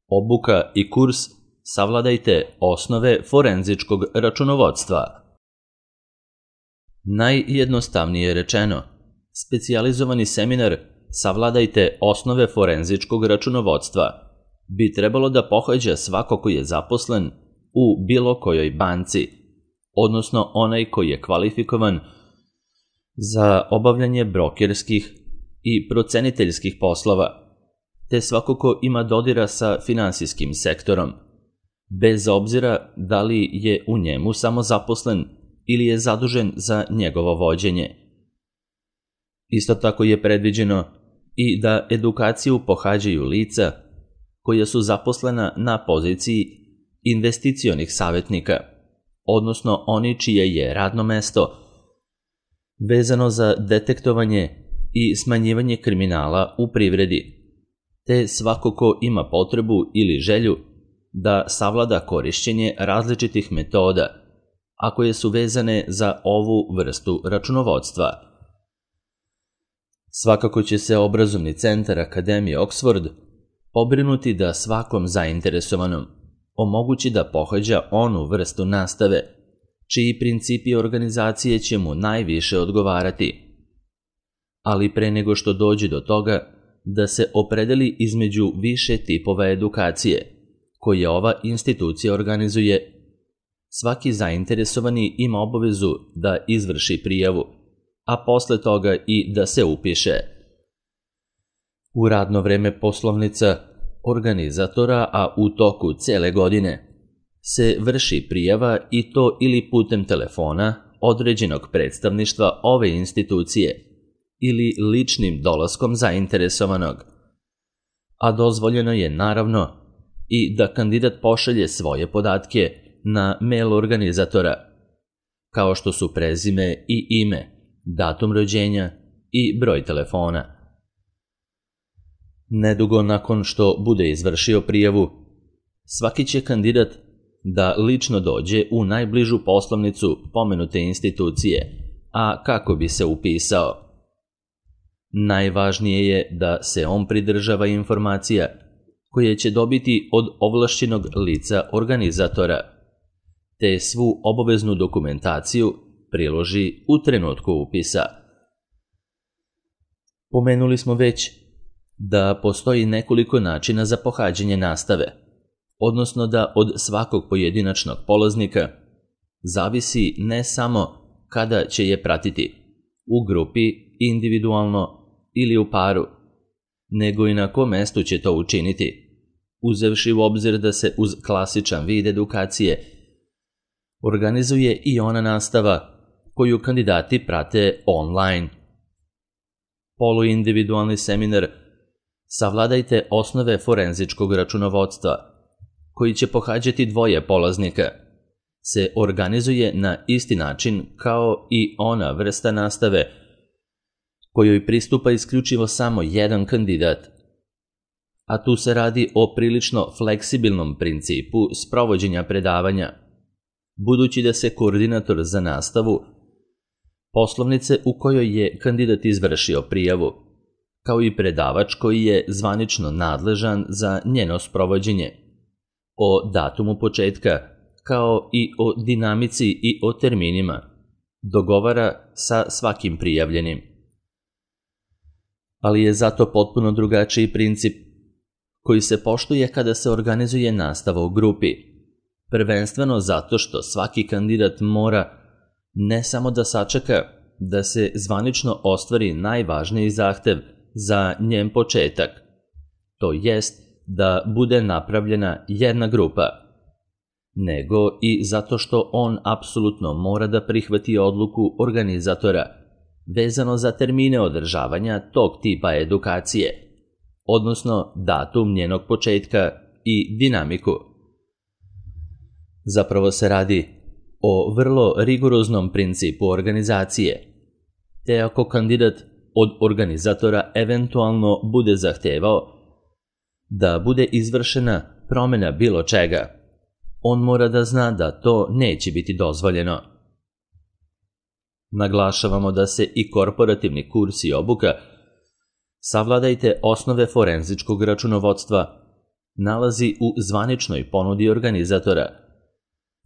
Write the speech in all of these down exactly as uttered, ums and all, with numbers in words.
Obuka i kurs Savladajte osnove forenzičkog računovodstva. Najjednostavnije rečeno, specijalizovani seminar Savladajte osnove forenzičkog računovodstva bi trebalo da pohađa svako ko je zaposlen u bilo kojoj banci, odnosno onaj koji je kvalifikovan za obavljanje brokerskih i proceniteljskih poslova, te svako ko ima dodira sa finansijskim sektorom, bez obzira da li je u njemu samo zaposlen ili je zadužen za njegovo vođenje. Isto tako je predviđeno i da edukaciju pohađaju lica koja su zaposlena na poziciji investicionih savjetnika, odnosno oni čije je radno mesto vezano za detektovanje i smanjivanje kriminala u privredi, te svako ko ima potrebu ili želju da savlada korišćenje različitih metoda, a koje su vezane za ovu vrstu računovodstva. Svakako će se obrazovni centar Akademije Oxford pobrinuti da svakom zainteresovanom omogući da pohađa onu vrstu nastave čiji principi organizacije će mu najviše odgovarati. Ali pre nego što dođe do toga da se opredeli između više tipova edukacije koje ova institucija organizuje, svaki zainteresovani ima obavezu da izvrši prijavu, a posle toga i da se upiše. U radno vreme poslovnica organizatora, a u toku cele godine, se vrši prijava i to ili putem telefona određenog predstavništva ove institucije ili ličnim dolaskom zainteresovanog, a dozvoljeno je naravno i da kandidat pošalje svoje podatke na mail organizatora, kao što su prezime i ime, datum rođenja i broj telefona. Nedugo nakon što bude izvršio prijavu, svaki će kandidat da lično dođe u najbližu poslovnicu pomenute institucije, a kako bi se upisao. Najvažnije je da se on pridržava informacija koje će dobiti od ovlašćenog lica organizatora, te svu obaveznu dokumentaciju priloži u trenutku upisa. Pomenuli smo već da postoji nekoliko načina za pohađanje nastave, odnosno da od svakog pojedinačnog polaznika zavisi ne samo kada će je pratiti, u grupi, individualno ili u paru, nego i na kom mestu će to učiniti, uzevši u obzir da se uz klasičan vid edukacije organizuje i ona nastava koju kandidati prate online. Poluindividualni seminar Savladajte osnove forenzičkog računovodstva, koji će pohađati dvoje polaznika, se organizuje na isti način kao i ona vrsta nastave kojoj pristupa isključivo samo jedan kandidat, a tu se radi o prilično fleksibilnom principu sprovođenja predavanja, budući da se koordinator za nastavu poslovnice u kojoj je kandidat izvršio prijavu, kao i predavač koji je zvanično nadležan za njeno sprovođenje, o datumu početka, kao i o dinamici i o terminima, dogovara sa svakim prijavljenim. Ali je zato potpuno drugačiji princip koji se poštuje kada se organizuje nastava u grupi, prvenstveno zato što svaki kandidat mora ne samo da sačeka da se zvanično ostvari najvažniji zahtev za njen početak, to jest da bude napravljena jedna grupa, nego i zato što on apsolutno mora da prihvati odluku organizatora vezano za termine održavanja tog tipa edukacije, odnosno datum njenog početka i dinamiku. Zapravo se radi o vrlo rigoroznom principu organizacije, te ako kandidat od organizatora eventualno bude zahtevao da bude izvršena promjena bilo čega, on mora da zna da to neće biti dozvoljeno. Naglašavamo da se i korporativni kurs i obuka Savladajte osnove forenzičkog računovodstva nalazi u zvaničnoj ponudi organizatora,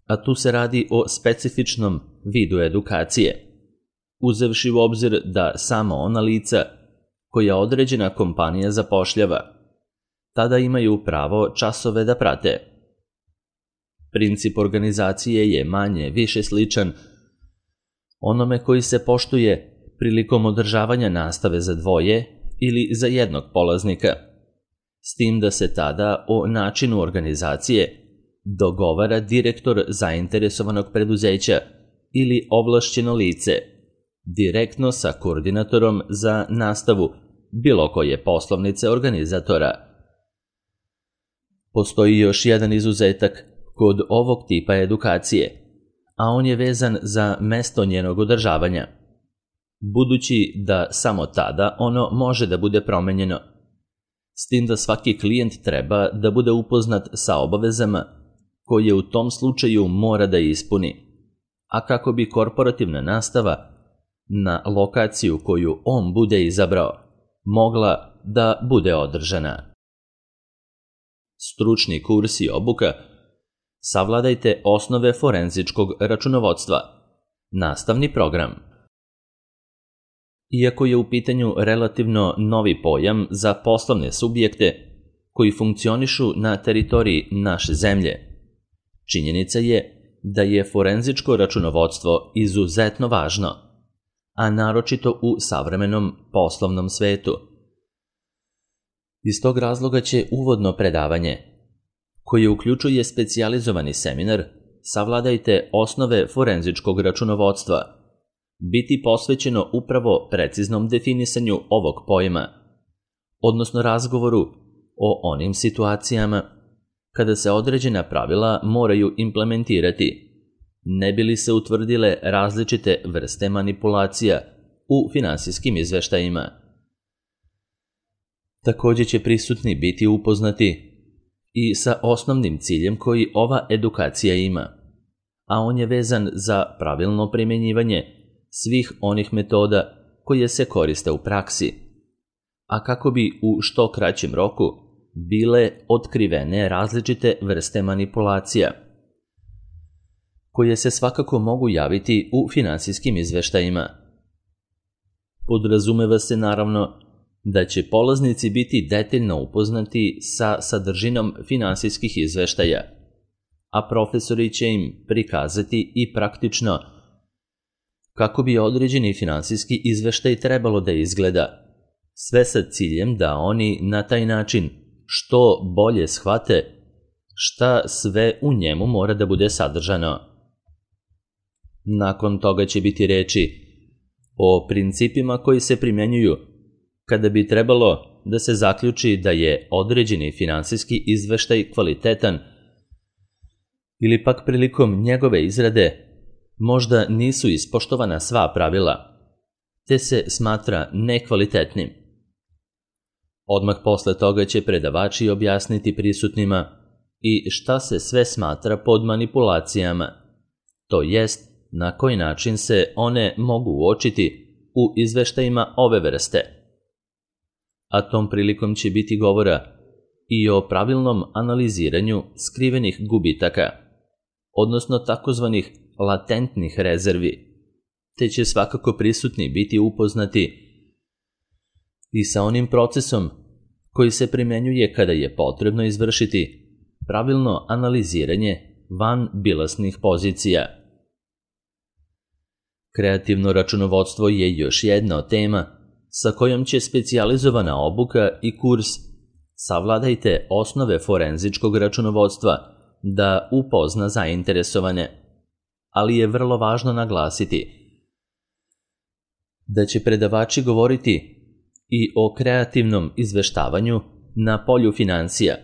a tu se radi o specifičnom vidu edukacije, uzevši u obzir da samo ona lica koja određena kompanija zapošljava tada imaju pravo časove da prate. Princip organizacije je manje više sličan onome koji se poštuje prilikom održavanja nastave za dvoje ili za jednog polaznika, s tim da se tada o načinu organizacije dogovara direktor zainteresovanog preduzeća ili ovlašćeno lice, direktno sa koordinatorom za nastavu bilo koje poslovnice organizatora. Postoji još jedan izuzetak kod ovog tipa edukacije, a on je vezan za mesto njenog održavanja, budući da samo tada ono može da bude promenjeno, s tim da svaki klijent treba da bude upoznat sa obavezama koje u tom slučaju mora da ispuni, a kako bi korporativna nastava na lokaciju koju on bude izabrao mogla da bude održana. Stručni kurs i obuka. Savladajte osnove forenzičkog računovodstva. Nastavni program. Iako je u pitanju relativno novi pojam za poslovne subjekte koji funkcionišu na teritoriji naše zemlje, činjenica je da je forenzičko računovodstvo izuzetno važno, a naročito u savremenom poslovnom svetu. Iz tog razloga će uvodno predavanje, koje uključuje specijalizovani seminar Savladajte osnove forenzičkog računovodstva, biti posvećeno upravo preciznom definisanju ovog pojma, odnosno razgovoru o onim situacijama kada se određena pravila moraju implementirati, ne bi li se utvrdile različite vrste manipulacija u finansijskim izveštajima. Također će prisutni biti upoznati i sa osnovnim ciljem koji ova edukacija ima, a on je vezan za pravilno primjenjivanje svih onih metoda koje se koriste u praksi, a kako bi u što kraćem roku bile otkrivene različite vrste manipulacija, koje se svakako mogu javiti u finansijskim izveštajima. Podrazumeva se naravno da će polaznici biti detaljno upoznati sa sadržinom finansijskih izveštaja, a profesori će im prikazati i praktično kako bi određeni finansijski izveštaj trebalo da izgleda, sve sa ciljem da oni na taj način što bolje shvate šta sve u njemu mora da bude sadržano. Nakon toga će biti reči o principima koji se primjenjuju kada bi trebalo da se zaključi da je određeni finansijski izveštaj kvalitetan ili pak prilikom njegove izrade možda nisu ispoštovana sva pravila, te se smatra nekvalitetnim. Odmah posle toga će predavači objasniti prisutnima i šta se sve smatra pod manipulacijama, to jest na koji način se one mogu uočiti u izveštajima ove vrste. A tom prilikom će biti govora i o pravilnom analiziranju skrivenih gubitaka, odnosno takozvanih latentnih rezervi, te će svakako prisutni biti upoznati i sa onim procesom koji se primenjuje kada je potrebno izvršiti pravilno analiziranje vanbilansnih pozicija. Kreativno računovodstvo je još jedna od tema sa kojom će specijalizovana obuka i kurs Savladajte osnove forenzičkog računovodstva da upozna zainteresovane, ali je vrlo važno naglasiti da će predavači govoriti i o kreativnom izveštavanju na polju finansija,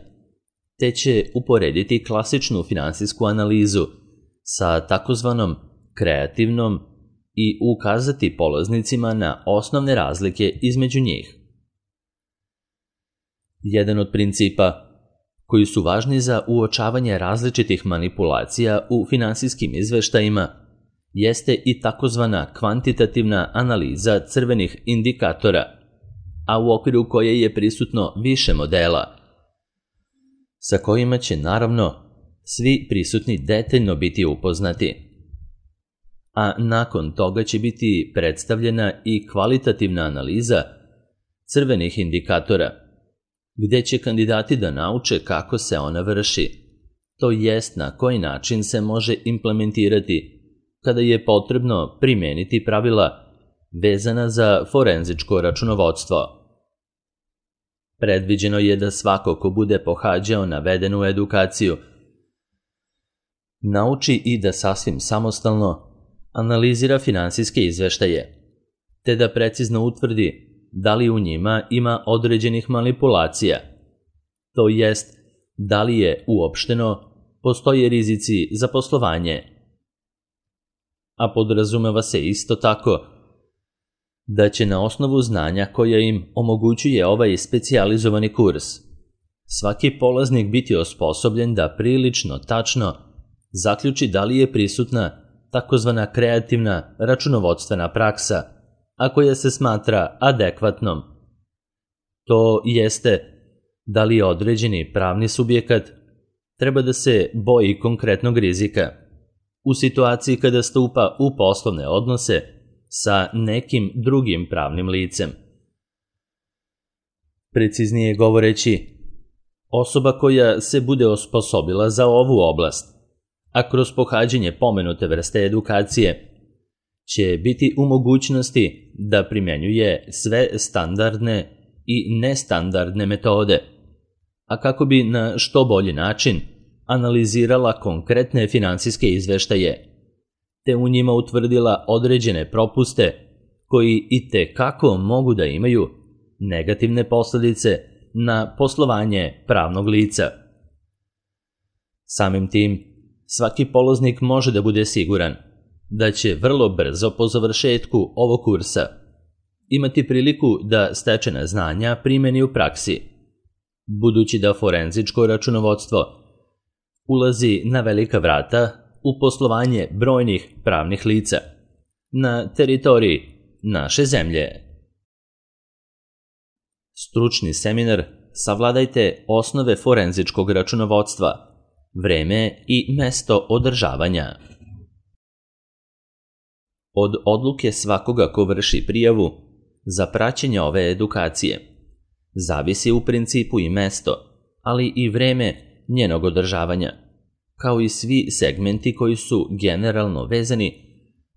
te će uporediti klasičnu finansijsku analizu sa takozvanom kreativnom i ukazati polaznicima na osnovne razlike između njih. Jedan od principa koji su važni za uočavanje različitih manipulacija u finansijskim izveštajima jeste i takozvana kvantitativna analiza crvenih indikatora, a u okviru koje je prisutno više modela. sa kojima će naravno svi prisutni detaljno biti upoznati. A nakon toga će biti predstavljena i kvalitativna analiza crvenih indikatora, gde će kandidati da nauče kako se ona vrši, to jest na koji način se može implementirati kada je potrebno primeniti pravila vezana za forenzičko računovodstvo. Predviđeno je da svako ko bude pohađao navedenu edukaciju nauči i da sasvim samostalno analizira finansijske izveštaje, te da precizno utvrdi da li u njima ima određenih manipulacija, to jest da li je uopšteno postoje rizici za poslovanje. A podrazumeva se isto tako da će na osnovu znanja koja im omogućuje ovaj specijalizovani kurs svaki polaznik biti osposobljen da prilično tačno zaključi da li je prisutna takozvana kreativna računovodstvena praksa, a koja se smatra adekvatnom. To jeste da li određeni pravni subjekat treba da se boji konkretnog rizika u situaciji kada stupa u poslovne odnose sa nekim drugim pravnim licem. Preciznije govoreći, osoba koja se bude osposobila za ovu oblast, a kroz pohađanje pomenute vrste edukacije će biti u mogućnosti da primenjuje sve standardne i nestandardne metode, a kako bi na što bolji način analizirala konkretne finansijske izveštaje, te u njima utvrdila određene propuste koji i te kako mogu da imaju negativne posledice na poslovanje pravnog lica. Samim tim, svaki polaznik može da bude siguran da će vrlo brzo po završetku ovog kursa imati priliku da stečena znanja primeni u praksi, budući da forenzičko računovodstvo ulazi na velika vrata u poslovanje brojnih pravnih lica na teritoriji naše zemlje. Stručni seminar Savladajte osnove forenzičkog računovodstva, vreme i mesto održavanja. Od odluke svakoga ko vrši prijavu za praćenje ove edukacije zavisi u principu i mesto, ali i vreme njenog održavanja, kao i svi segmenti koji su generalno vezani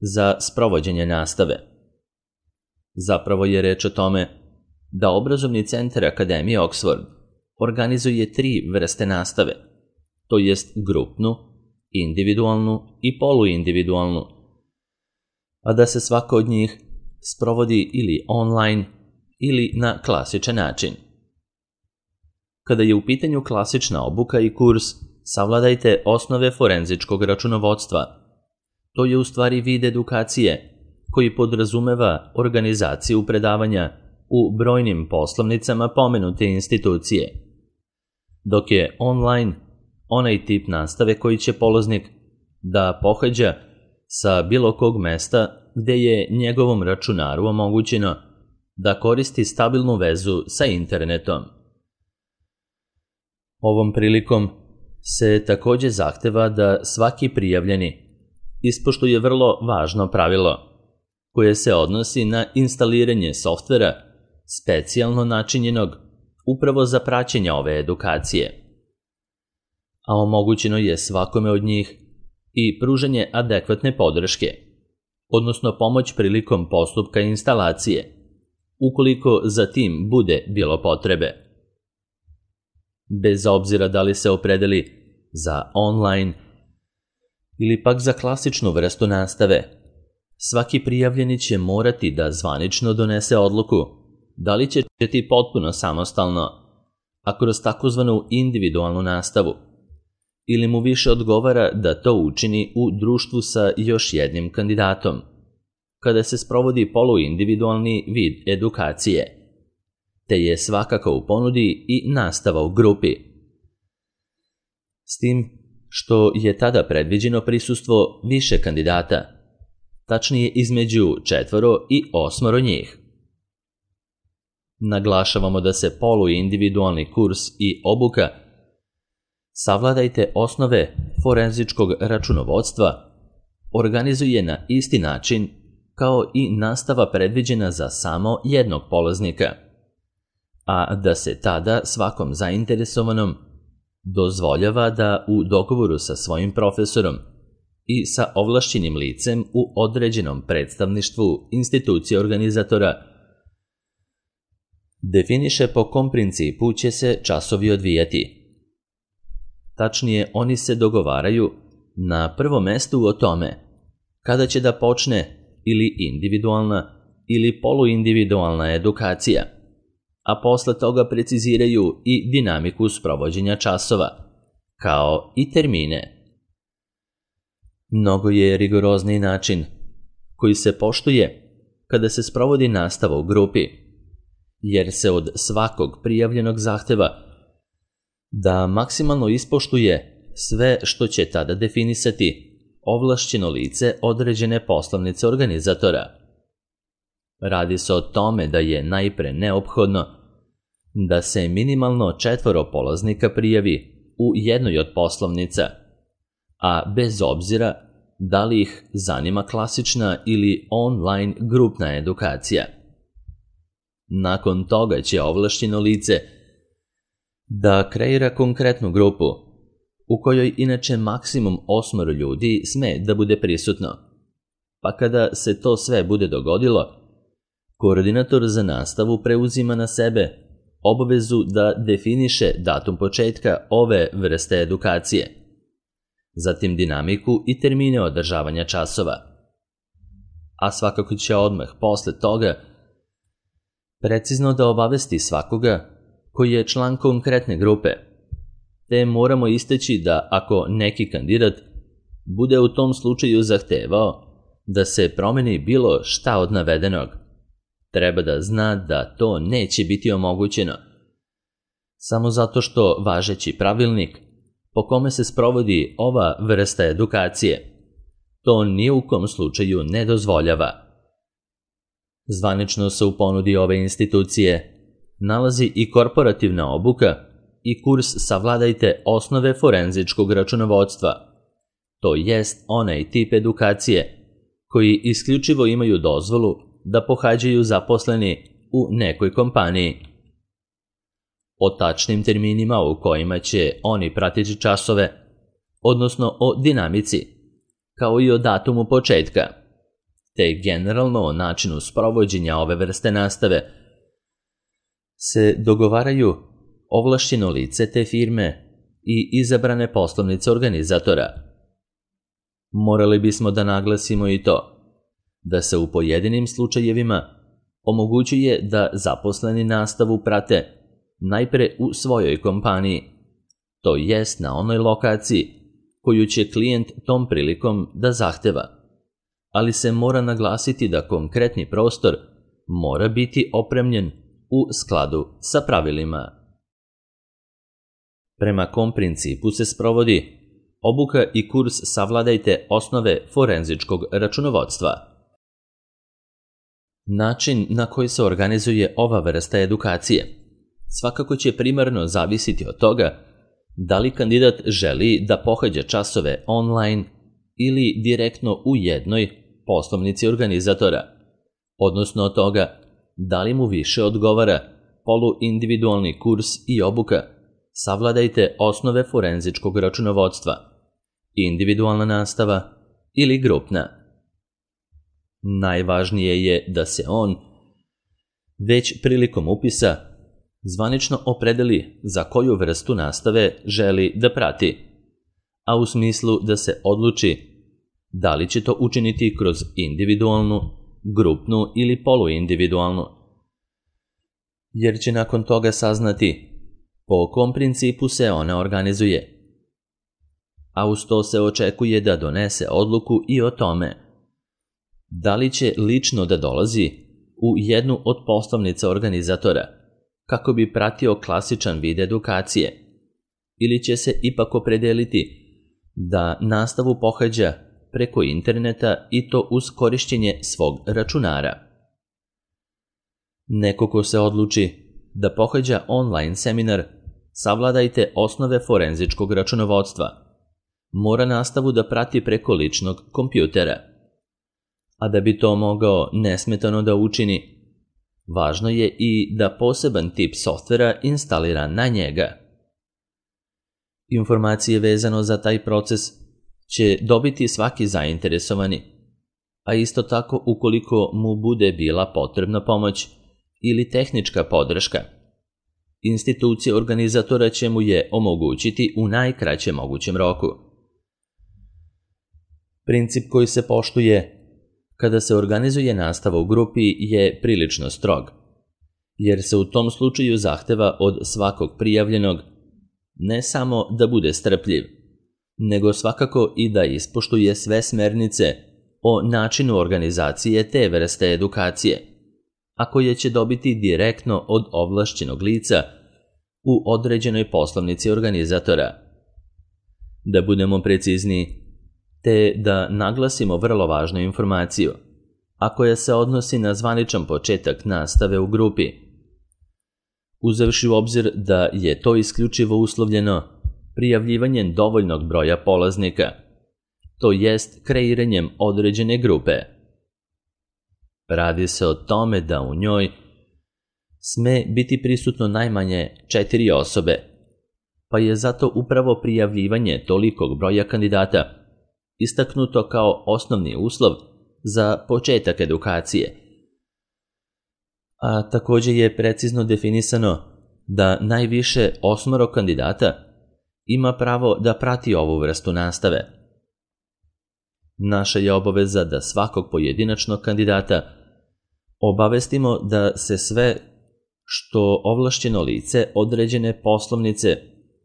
za sprovođenje nastave. Zapravo je reč o tome da obrazovni centar Akademije Oxford organizuje tri vrste nastave, to jest grupnu, individualnu i poluindividualnu, a da se svaka od njih sprovodi ili online ili na klasičan način. Kada je u pitanju klasična obuka i kurs Savladajte osnove forenzičkog računovodstva, to je u stvari vid edukacije koji podrazumeva organizaciju predavanja u brojnim poslovnicama pomenute institucije, dok je online onaj tip nastave koji će polaznik da pohađa sa bilo kog mesta gde je njegovom računaru omogućeno da koristi stabilnu vezu sa internetom. Ovom prilikom se takođe zahteva da svaki prijavljeni ispoštuje vrlo važno pravilo koje se odnosi na instaliranje softvera specijalno načinjenog upravo za praćenje ove edukacije, a omogućeno je svakome od njih i pružanje adekvatne podrške, odnosno pomoć prilikom postupka instalacije, ukoliko za tim bude bilo potrebe. Bez obzira da li se opredeli za online ili pak za klasičnu vrstu nastave, svaki prijavljeni će morati da zvanično donese odluku da li će ti potpuno samostalno, a kroz takozvanu individualnu nastavu, ili mu više odgovara da to učini u društvu sa još jednim kandidatom, kada se sprovodi poluindividualni vid edukacije, te je svakako u ponudi i nastava u grupi. S tim što je tada predviđeno prisustvo više kandidata, tačnije između četvoro i osmoro njih. Naglašavamo da se poluindividualni kurs i obuka Savladajte osnove forenzičkog računovodstva organizuje na isti način kao i nastava predviđena za samo jednog polaznika, a da se tada svakom zainteresovanom dozvoljava da u dogovoru sa svojim profesorom i sa ovlašćenim licem u određenom predstavništvu institucije organizatora definiše po kom principu će se časovi odvijati. Tačnije, oni se dogovaraju na prvom mestu o tome kada će da počne ili individualna ili poluindividualna edukacija, a posle toga preciziraju i dinamiku sprovođenja časova, kao i termine. Mnogo je rigorozniji način koji se poštuje kada se sprovodi nastava u grupi, jer se od svakog prijavljenog zahteva da maksimalno ispoštuje sve što će tada definisati ovlašćeno lice određene poslovnice organizatora. Radi se o tome da je najpre neophodno da se minimalno četvoro polaznika prijavi u jednoj od poslovnica, a bez obzira da li ih zanima klasična ili online grupna edukacija. Nakon toga će ovlašćeno lice da kreira konkretnu grupu, u kojoj inače maksimum osmoro ljudi sme da bude prisutno. Pa kada se to sve bude dogodilo, koordinator za nastavu preuzima na sebe obavezu da definiše datum početka ove vrste edukacije, zatim dinamiku i termine održavanja časova. A svakako će odmah posle toga precizno da obavesti svakoga koji je član konkretne grupe, te moramo istaći da ako neki kandidat bude u tom slučaju zahtevao da se promeni bilo šta od navedenog, treba da zna da to neće biti omogućeno, samo zato što važeći pravilnik po kome se sprovodi ova vrsta edukacije to ni u kom slučaju ne dozvoljava. Zvanično se u ponudi ove institucije nalazi i korporativna obuka i kurs Savladajte osnove forenzičkog računovodstva, to jest onaj tip edukacije koji isključivo imaju dozvolu da pohađaju zaposleni u nekoj kompaniji. O tačnim terminima u kojima će oni pratiti časove, odnosno o dinamici, kao i o datumu početka, te generalno o načinu sprovođenja ove vrste nastave, se dogovaraju ovlašćeno lice te firme i izabrane poslovnice organizatora. Morali bismo da naglasimo i to da se u pojedinim slučajevima omogućuje da zaposleni nastavu prate najpre u svojoj kompaniji, to jest na onoj lokaciji koju će klijent tom prilikom da zahteva, ali se mora naglasiti da konkretni prostor mora biti opremljen u skladu sa pravilima. Prema kom principu se sprovodi obuka i kurs Savladajte osnove forenzičkog računovodstva? Način na koji se organizuje ova vrsta edukacije svakako će primarno zavisiti od toga da li kandidat želi da pohađa časove online ili direktno u jednoj poslovnici organizatora, odnosno od toga da li mu više odgovara poluindividualni kurs i obuka Savladajte osnove forenzičkog računovodstva, individualna nastava ili grupna. Najvažnije je da se on već prilikom upisa zvanično opredeli za koju vrstu nastave želi da prati, a u smislu da se odluči da li će to učiniti kroz individualnu, grupnu ili poluindividualnu, jer će nakon toga saznati po kom principu se ona organizuje. A uz to se očekuje da donese odluku i o tome da li će lično da dolazi u jednu od poslovnica organizatora kako bi pratio klasičan vid edukacije, ili će se ipak opredeliti da nastavu pohađa preko interneta i to uz korišćenje svog računara. Neko ko se odluči da pohađa online seminar savladajte osnove forenzičkog računovodstva. Mora nastavu da prati preko ličnog kompjutera. A da bi to mogao nesmetano da učini, važno je i da poseban tip softvera instalira na njega. Informacije vezano za taj proces će dobiti svaki zainteresovani, a isto tako ukoliko mu bude bila potrebna pomoć ili tehnička podrška. Institucija organizatora će mu je omogućiti u najkraćem mogućem roku. Princip koji se poštuje kada se organizuje nastava u grupi je prilično strog, jer se u tom slučaju zahteva od svakog prijavljenog ne samo da bude strpljiv, nego svakako i da ispoštuje sve smernice o načinu organizacije te vrste edukacije, a koje će dobiti direktno od ovlašćenog lica u određenoj poslovnici organizatora. Da budemo precizniji, te da naglasimo vrlo važnu informaciju, a koja se odnosi na zvaničan početak nastave u grupi. Uzevši u obzir da je to isključivo uslovljeno prijavljivanjem dovoljnog broja polaznika, to jest kreiranjem određene grupe. Radi se o tome da u njoj sme biti prisutno najmanje četiri osobe, pa je zato upravo prijavljivanje tolikog broja kandidata istaknuto kao osnovni uslov za početak edukacije. A također je precizno definisano da najviše osmoro kandidata ima pravo da prati ovu vrstu nastave. Naša je obaveza da svakog pojedinačnog kandidata obavestimo da se sve što ovlašćeno lice određene poslovnice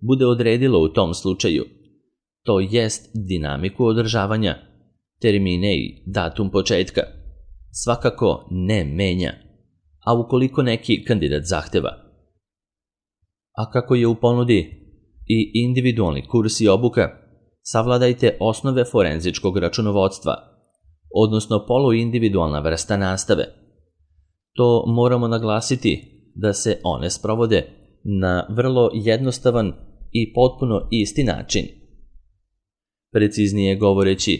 bude odredilo u tom slučaju, to jest dinamiku održavanja, termine i datum početka, svakako ne menja, a ukoliko neki kandidat zahteva. A kako je u ponudi i individualni kurs i obuka, savladajte osnove forenzičkog računovodstva, odnosno poluindividualna vrsta nastave. To moramo naglasiti da se one sprovode na vrlo jednostavan i potpuno isti način. Preciznije govoreći,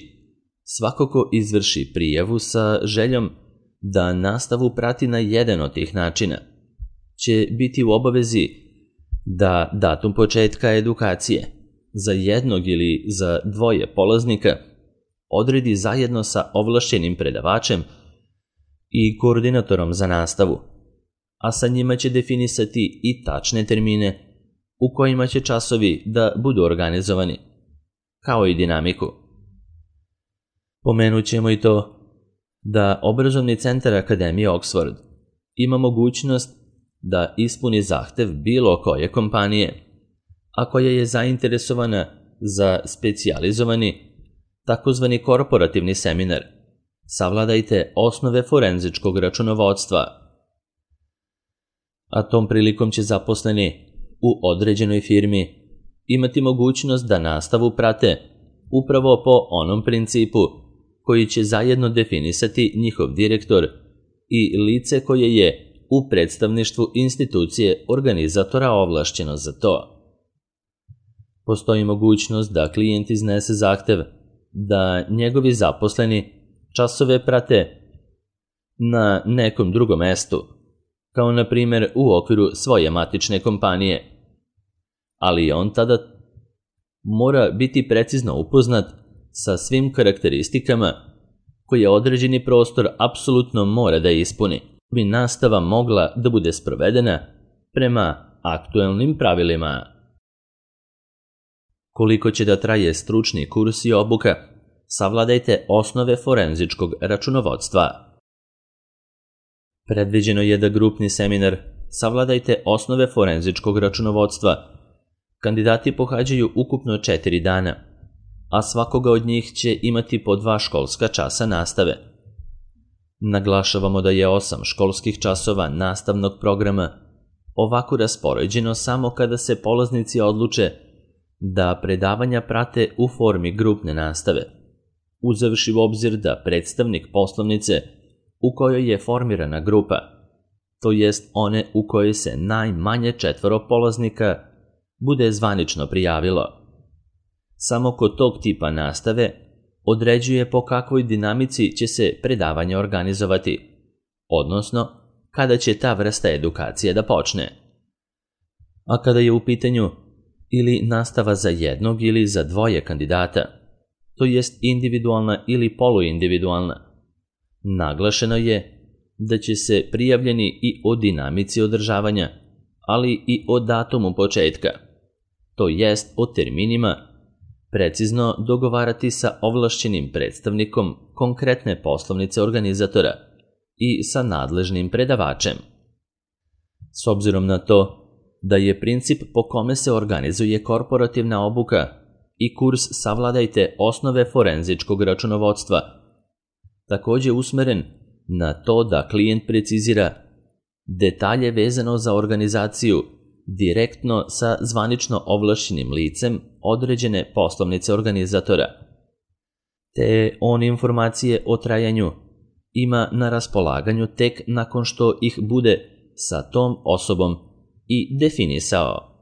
svako ko izvrši prijavu sa željom da nastavu prati na jedan od tih načina, će biti u obavezi da datum početka edukacije za jednog ili za dvoje polaznika odredi zajedno sa ovlašćenim predavačem i koordinatorom za nastavu, a sa njima će definisati i tačne termine u kojima će časovi da budu organizovani, kao i dinamiku. Pomenut ćemo i to da obrazovni centar Akademije Oxford ima mogućnost da ispuni zahtev bilo koje kompanije, a koja je zainteresovana za specijalizovani, takozvani korporativni seminar. Savladajte osnove forenzičkog računovodstva. A tom prilikom će zaposleni u određenoj firmi imati mogućnost da nastavu prate upravo po onom principu koji će zajedno definisati njihov direktor i lice koje je u predstavništvu institucije organizatora ovlašćeno za to. Postoji mogućnost da klijent iznese zahtev da njegovi zaposleni časove prate na nekom drugom mestu, kao na primjer u okviru svoje matične kompanije, ali on tada mora biti precizno upoznat sa svim karakteristikama koje određeni prostor apsolutno mora da ispuni, bi nastava mogla da bude sprovedena prema aktuelnim pravilima. Koliko će da traje stručni kurs i obuka, savladajte osnove forenzičkog računovodstva. Predviđeno je da grupni seminar savladajte osnove forenzičkog računovodstva kandidati pohađaju ukupno četiri dana, a svakoga od njih će imati po dva školska časa nastave. Naglašavamo da je osam školskih časova nastavnog programa ovako raspoređeno samo kada se polaznici odluče da predavanja prate u formi grupne nastave, uzevši u obzir da predstavnik poslovnice u kojoj je formirana grupa, to jest one u kojoj se najmanje četvoro polaznika bude zvanično prijavilo. Samo kod tog tipa nastave određuje po kakvoj dinamici će se predavanje organizovati, odnosno kada će ta vrsta edukacije da počne. A kada je u pitanju ili nastava za jednog ili za dvoje kandidata, to jest individualna ili poluindividualna, naglašeno je da će se prijavljeni i o dinamici održavanja, ali i o datumu početka, to jest o terminima, precizno dogovarati sa ovlašćenim predstavnikom konkretne poslovnice organizatora i sa nadležnim predavačem. S obzirom na to da je princip po kome se organizuje korporativna obuka i kurs Savladajte osnove forenzičkog računovodstva takođe usmeren na to da klijent precizira detalje vezano za organizaciju direktno sa zvanično ovlašćenim licem određene poslovnice organizatora, te on informacije o trajanju ima na raspolaganju tek nakon što ih bude sa tom osobom i definisao.